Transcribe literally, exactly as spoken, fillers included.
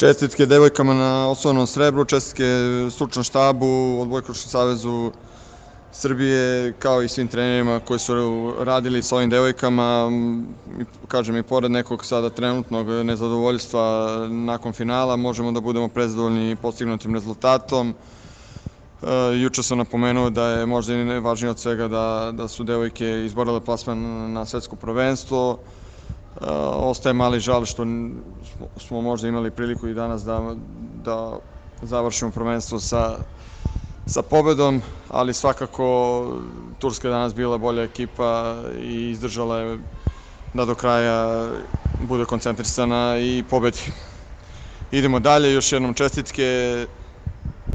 Čestitke devojkama na osvojenom srebru, čestitke stručnom štabu, Odbojkaškom savezu Srbije, kao i svim trenerima koji su radili sa ovim devojkama. Kažem, i pored nekog sada trenutnog nezadovoljstva nakon finala, možemo da budemo prezadovoljni postignutim rezultatom. Juče sam napomenuo da je možda i najvažnije od svega da su devojke izborile plasman na svetsko prvenstvo. Ostaje mali žal što smo možda imali priliku i danas da završimo prvenstvo sa pobedom, ali svakako Turska je danas bila bolja ekipa i izdržala je da do kraja bude koncentrisana i pobedi. Idemo dalje, još jednom čestitke.